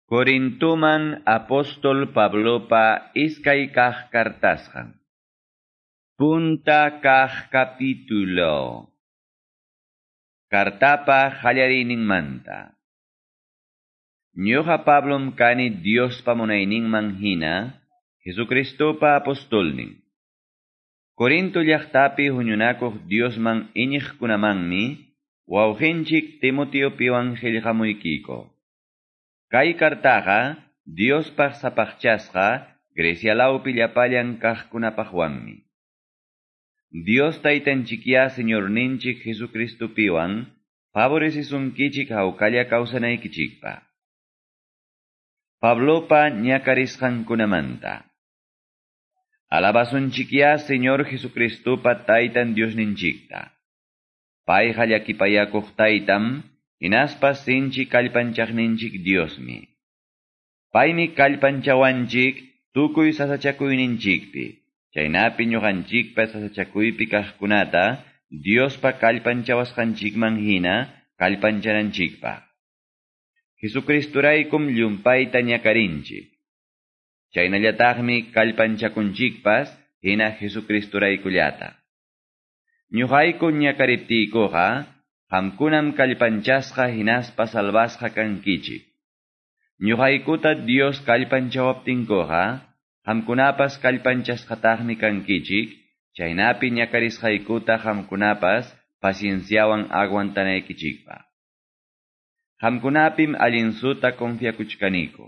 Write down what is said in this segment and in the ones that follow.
Corintuman apóstol Pablopa iskay kaq kartasqan. Punta kaq capítulo. Kartapa qallariyninmanta. Ñuqa Pablom kani Diospa munayninman hina, Jesucristopa apostolnin. Corinto llaqtapi huñunakuq Diosman iñiqkunamanmi, wawqinchik Timoteopiwan qillqamuykiko. Kay kartaqa Diospaq sapaqchasqa Grecia lawpi llapallan kaqkunapaqwanmi. Dios taytanchikya Señorninchik Jesucristopiwan favorecisunkichik hawkalla kawsanaykichikpaq. Pablopa ñakarisqankunamanta. Alabasunchikya Señor Jesucristopa taytan Diosninchikta. Payqa llakipayakuq taytam, hinaspa sinchi kallpanchaqninchik Diosmi. Paymi kallpanchawanchik tukuy sasachakuyninchikpi. Chaynapi ñuqanchikpa sasachakuypi kaqkunata Diospa kallpanchawasqanchikman hina kallpanchananchikpaq. Jesucristuraykum llumpayta ñakarinchik. Chaynallataqmi kallpanchakunchikpas hina Jesucristuraykullata. Ñuqayku ñakariptiykuqa qamkunam kallpanchasqa hinaspa salvasqa kankichik. Ñuqaykuta Dios kallpanchawaptinkuqa qamkunapas kallpanchasqataqmi kankichik, chaynapi ñakarisqaykuta qamkunapas pacienciawan aguantanaykichikpaq. Qamkunapim allinsuta confiakuchkaniku.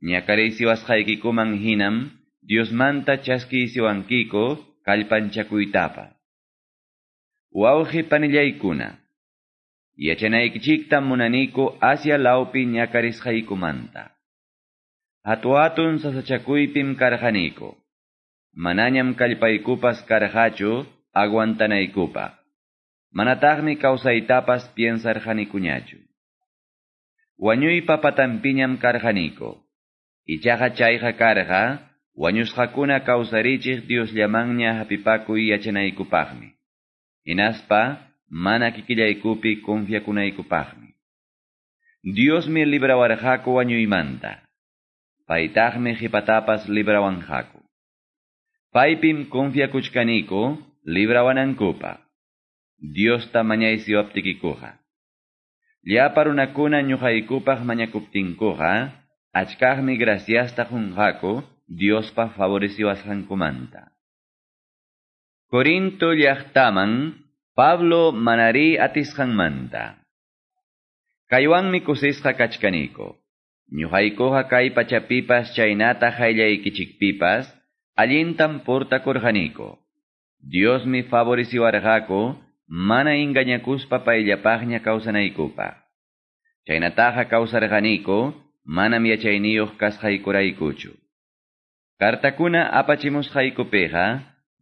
Ñakariysiwasqaykikuman hinam Diosmanta chaskiysiwankiku kallpanchakuytapas. Wawqi panillaykuna, yachanaykichiktam munaniku Asia lawpi ñakarisqaykumanta. Hatu-hatun sasachakuypim karqaniku. Manañam kallpaykupas karqachu aguantanaykupaq. Manataqmi kawsaytapas piensarqanikuñachu. Wañuypa patanpiñam karqaniku. Ichaqa chayqa karqa, wañusqakuna kawsarichiq Diosllamanña hapipakuy yachanaykupaqmi. Hinaspa mana kikillaykupi confiakunaykupaqmi. Diosmi librawarqaku wañuymanta. Paytaqmi qhipatapas librawanqaku. Paypim confiakuchkaniku librawanankupaq. Diosta mañaysiwaptikikuqa. Llapa runakuna ñuqaykupaq mañakuptinkuqa, achkaqmi graciasta qunqaku Diospa favoreciwasqankumanta. Corinto llaqtaman Pablo manari atisqanmanta. Kaywanmi kusisqa kachkaniku. Ñuqaykuqa kay pachapipas chaynata qayllaykichikpipas allintam portakurqaniku. Diosmi favoreciwarqaku mana engañakuspa payllapaqña kawsanaykupaq. Chaynataqa kawsarqaniku manam yachayniyuq kasqaykuraykuchu. Kartakuna apachimusqaykupiqa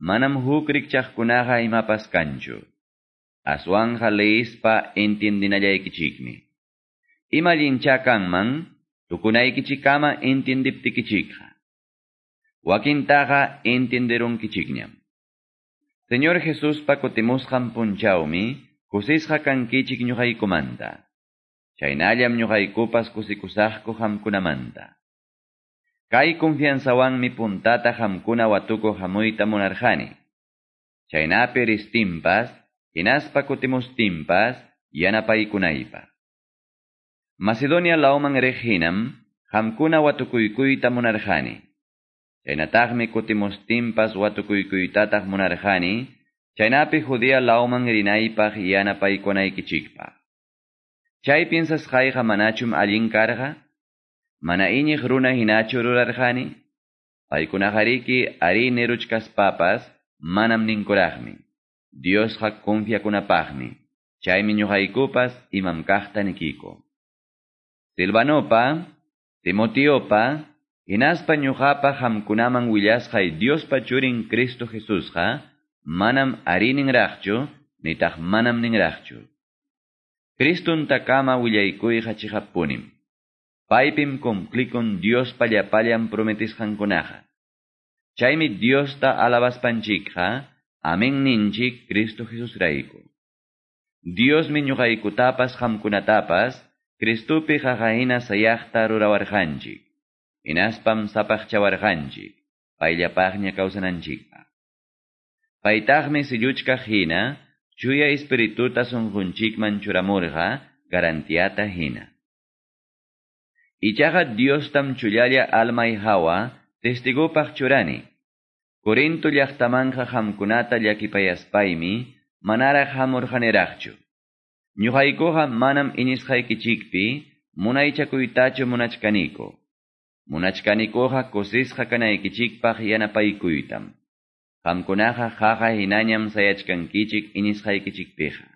manam huk rikchaqkunaqa imapas kanchu. Aswanja leispa entiendinallaykichikmi. Ima allincha kanman tukunaykichikama entiendiptikichikqa. Wakintaqa entienderunkichikñam. Señor Jesuspa kutimusqan punchawmi kusisqa kankichik ñuqaykumanta. Chaynallam ñuqaykupas kusikusaqku qamkunamanta. Kay confianzawanmi puntata qamkuna watukuq hamuyta munarqani. Chaynapi ristinpas, hinaspa kutimustinpas yanapaykunaypaq. Macedonia lawman riq hinam qamkuna watukuykuyta munarqani. Chaynataqmi kutimustinpas watukuykuytataq munarqani, chaynapi Judea lawman rinaypaq yanapaykunaykichikpaq. Chay piensasqayqa manachum allin karqa? Mana iñiq runa hinachu rurarqani? Paykunaqariki ari niruchkaspapas manam ninkuraqmi. Diosqa confiakunapaqmi. Chaymi ñuqaykupas imam kaqta nikiku. Silvanopa, Timoteopa, hinaspa ñuqapa qamkunaman willasqay Diospa churin Cristo Jesusqa, manam ari ninraqchu, nitaq manam ninraqchu. Cristuntakama willaykuyqa chiqappunim. Paypim cumplikun Diospa llapallan prometisqankunaqa. Chaymi Diosta alabaspanchikqa, amen ninchik Cristo Jesusrayku. Diosmi ñuqaykutapas qamkunatapas Cristopi qaqa hina sayaqta rurawarqanchik. Hinaspam sapaqchawarqanchik, payllapaqña kawsananchikpaq. Paytaqmi silluchkaq hina, chuya espirituta sunqunchikman churamurqa garantiata hina. Ichaqa Diostam chullalla almay hawa testigopaq churani. Corinto llaqtamanqa qamkunata llakipayaspaymi manaraq hamurqaniraqchu. Ñuqaykuqa manam iñisqaykichikpi munaychakuytachu munachkaniku. Munachkanikuqa kusisqa kanaykichikpaq yanapaykuytam. Qamkunaqa qaqa hinañam sayachkankichik iñisqaykichikpiqa.